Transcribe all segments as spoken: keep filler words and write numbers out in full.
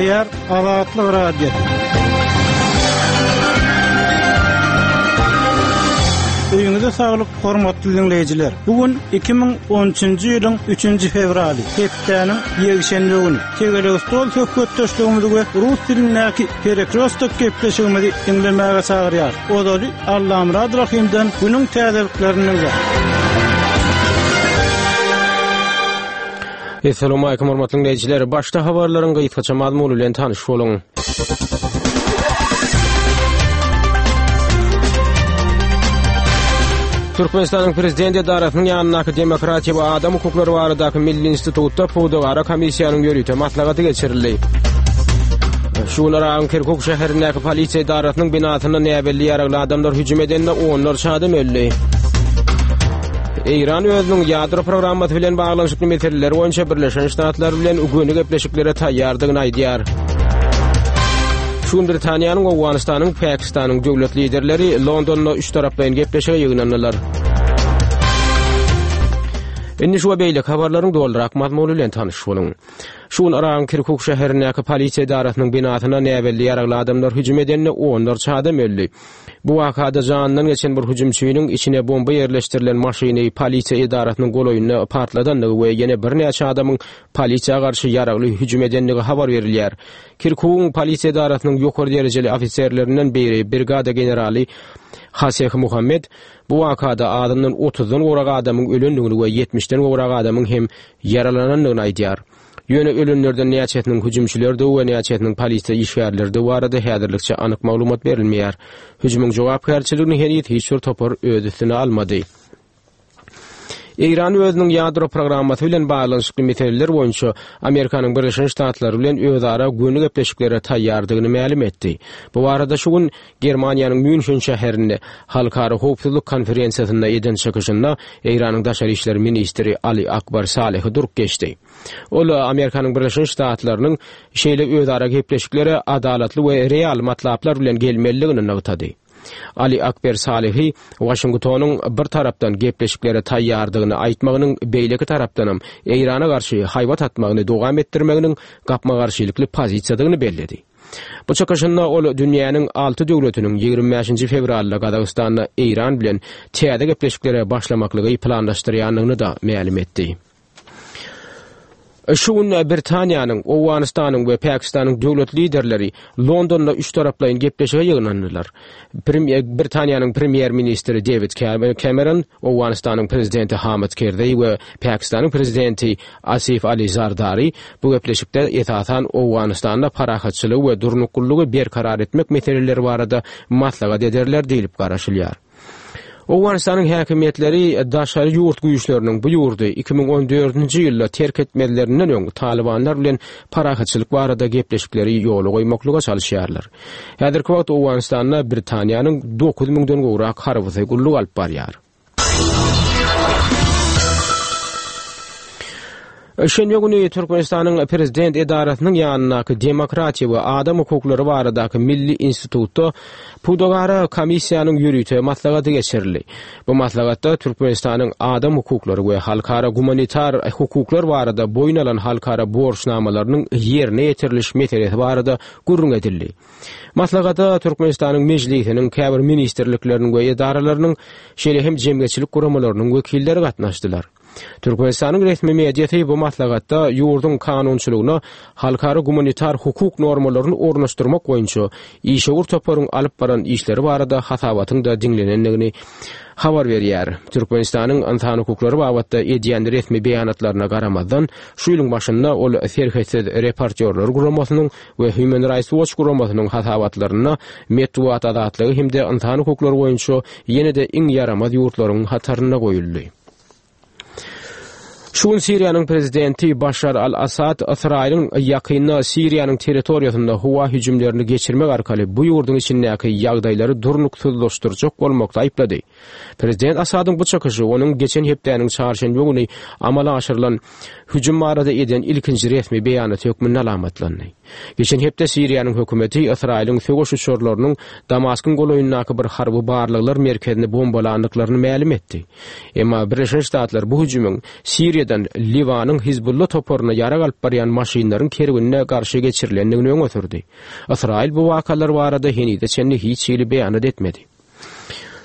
Gepleýär Azatlyk Radiosy. Öýüňize saglyk, hormatly dinleýjiler. Bu gün iki müň on üçünji ýylyň üçünji fewraly, hepdäniň ýekşenbe güni. Tegelek stol söhbetdeşligimizi we rus dilindäki Perekrostok gepleşigimizi diňlemäge çagyrýar. Ozaly Allamyrat Rahimden günüň täzeliklerini dinle. Essalamu alaykum hormatly dinleýjiler. Başda habarlaryň gysgaça mazmuny bilen tanyş boluň. Türkmenistanyň Prezident edarasynyň ýanyndaky Demokratiýa we Adam hukuklary baradaky Milli institutda pudagara komissiýanyň ýörite maslahaty geçirildi. Şu gün Yragyň Kirkuk şäherindäki polisiýa edarasynyň binasyna näbelli ýaragly adamlar hüjüm edende onlarça adam öldi. Eýran özüniň ýadro programmasy bilen baglanyşykly meseleler boýunça Birleşen Ştatlar bilen göni gepleşiklere taýýardygyny aýdýar. Şu gün Britaniýanyň, Owganystanyň, Pakistanyň döwlet liderleri Londonda üç taraplaýyn gepleşige ýygnandylar. Indi şu we beýleki habarlaryň dolurak mazmuny bilen tanyş boluň. Şu gün Yragyň Kirkuk şäherindäki polisiýa edarasynyň binasyna näbelli ýaragly adamlar hüjüm edende onlarça adam öldi. Bu wakada janyndan geçen bir hüjümçiniň içine bomba ýerleşdirilen maşyny polisiýa edarasynyň golaýynda partladandygy we ýene birnäçe adamyň polisiýa garşy ýaragly hüjüm edendigi habar berilýär. Kirkugyň polisiýa edarasynyň ýokary derejeli ofiserlerinden biri brigada generaly Haseh Muhammed bu wakada azyndan otuzdan gowrak adamyň ölendigini we ýetmişden gowrak adamyň hem ýaralanandygyny aýdýar. Ýöne ölenlerden näçesiniň hüjümçilerdigi we näçesiniň polisiýa işgärlerdigi barada häzirlikçe anyk maglumat berilmeýär. Hüjümiň jogapkärçiligini heniz hiç bir topar öz üstüne almady. Eýran özüniň ýadro programmasy bilen baglanyşykly meseleler boýunça Amerikanyň Birleşen Ştatlary bilen özara göni gepleşiklere taýýardygyny mälim etdi. Bu barada şu gün Germaniýanyň München şäherinde Halkara howpsuzlyk konferensiýasynda eden çykyşynda Eýranyň daşary işler ministri Ali Akbar Salehi durup geçdi. Ol Amerikanyň Birleşen Ştatlarynyň şeýle özara gepleşiklere adalatly we real matlaplar bilen gelmelidigini nygtady. Ali Akbar Salehi Washingtonyň bir tarapdan gepleşiklere taýýardygyny aýtmagynyň beýleki tarapdanam Eýrana garşy haýbat atmagyny dowam etdirmeginiň gapma-garşylykly pozisiýadygyny belledi. Bu çykyşynda ol dünýäniň alty döwletiniň ýigrimi bäşinji fewralda Gazagystanda Eýran bilen täze gepleşiklere başlamaklygy planlaşdyrýandygyny da mälim etdi. Şu gün Britaniýanyň, Owganystanyň we Pakistanyň döwlet liderleri Londonda üç taraplaýyn gepleşige ýygnandylar. Premýer, Britaniýanyň premýer-ministri David Cameron, Owganystanyň prezidenti Hamid Karzai we Pakistanyň prezidenti Asif Ali Zardari bu gepleşikde esasan Owganystanda parahatçylygy we durnuklylygy berkarar etmek meseleleri barada maslahat ederler diýlip garaşylýar. Owganystanyň häkimiýetleri daşary ýurt güýçleriniň bu ýurdy iki müň on dördünji ýylda terk etmezlerinden öň Talibanlar bilen parahatçylyk barada gepleşikleri ýola goýmaklyga çalyşýarlar. Häzirki wagt Owganystanda Britaniýanyň dokuz müňden gowrak harbysy gulluk alyp barýar. Şenbe güni Türkmenistanyň Prezident edarasynyň ýanyndaky Demokratiýa we Adam hukuklary baradaky Milli institutda pudagara komissiýanyň ýörite maslahaty geçirildi. Bu maslahatda Türkmenistanyň adam hukuklary we halkara gumanitar hukuklar barada boýun alan halkara borçnamalarynyň ýerine ýetiriliş meselesi barada gürrüň edildi. Maslahata Türkmenistanyň Mejlisiniň käbir ministrlikleriniň we edaralarynyň, şeýle hem jemgyýetçilik guramalarynyň wekilleri gatnaşdylar. Türkmenistanyň resmi mediasy bu maslahatda ýurduň kanunçylygyna halkara gumanitar hukuk normalaryny ornaşdyrmak boýunça işewür toparyň alyp baran işleri barada hasabatyň da diňlenendigini habar berýär. Türkmenistanyň ynsan hukuklary babatda edýän resmi beýanatlaryna garamazdan, şu ýylyň başynda ol Serhetsiz reportýorlar guramasynyň we Human Rights Watch guramasynyň hasabatlarynda metbugat azatlygy hem-de ynsan hukuklary boýunça ýene-de iň ýaramaz ýurtlaryň hatarynda goýuldy. Şu gün Siriýanyň prezidenti Başar al-Assad Ysraýylyň ýakynda Siriýanyň territoriýasynda howa hüjümlerini geçirmek arkaly bu ýurduň içindäki ýagdaýlary durnuksyzlaşdyrjak bolmakda aýyplady. Prezident Assadyň bu çykyşy onuň geçen hepdäniň çarşenbe güni amala aşyrylan hüjüm barada eden ilkinji resmi beýanaty hökmünde alamatlandy. Geçen hepde Siriýanyň hökümeti Ysraýylyň söweş uçarlarynyň Damaskyň golaýyndaky bir harby barlaglar merkezini bombalandyklaryny mälim etdi. Emma Birleşen Ştatlar bu hüjümiň Siriýada Siriýadan Liwanyň Hizbulla toparyna ýarag alyp barýan maşynlaryň kerwenine garşy geçirilendigini öňe sürdi. Ysraýyl bu wakalar barada henize çenli hiç hili beýanat etmedi.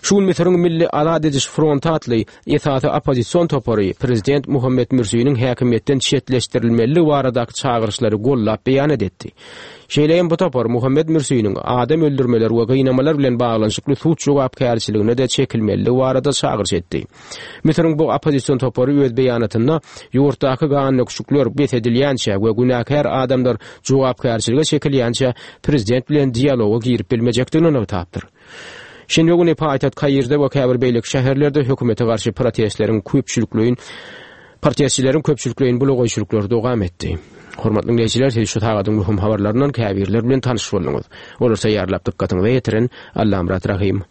Şu gün Müsüriň Milli Azat ediş fronty atly esasy oppozision topary prezident Muhammet Mürsiniň häkimiýetden çetleşdirilmeliligi baradaky çagyryşlary gollap beýanat etdi. Şeýle hem bu topar Muhammet Mürsiniň adam öldürmeler we gynamalar bilen baglanyşykly sud jogapkärçiligine-de çekilmeliligi barada çagyryş etdi. Müsüriň bu oppozision topary öz beýanatynda ýurtdaky gandöküşikler bes edilýänçä we günäkär adamlar jogapkärçilige çekilýänçä prezident bilen dialoga girip bilmejekdigini nygtapdyr. Şenbe güni paýtagt Kairde we käbir beýleki şäherlerde hökümete garşy protestleriň köpçülikleýin protestçileriň köpçülikleýin bulagaýçylyklary dowam etdi. Hormatly dinleýjiler, siz şu sagadyň möhüm habarlaryndan käbirleri bilen tanyş bolduňyz. Olary taýýarlap dykgatyňyza ýetiren Allamyrat Rahym.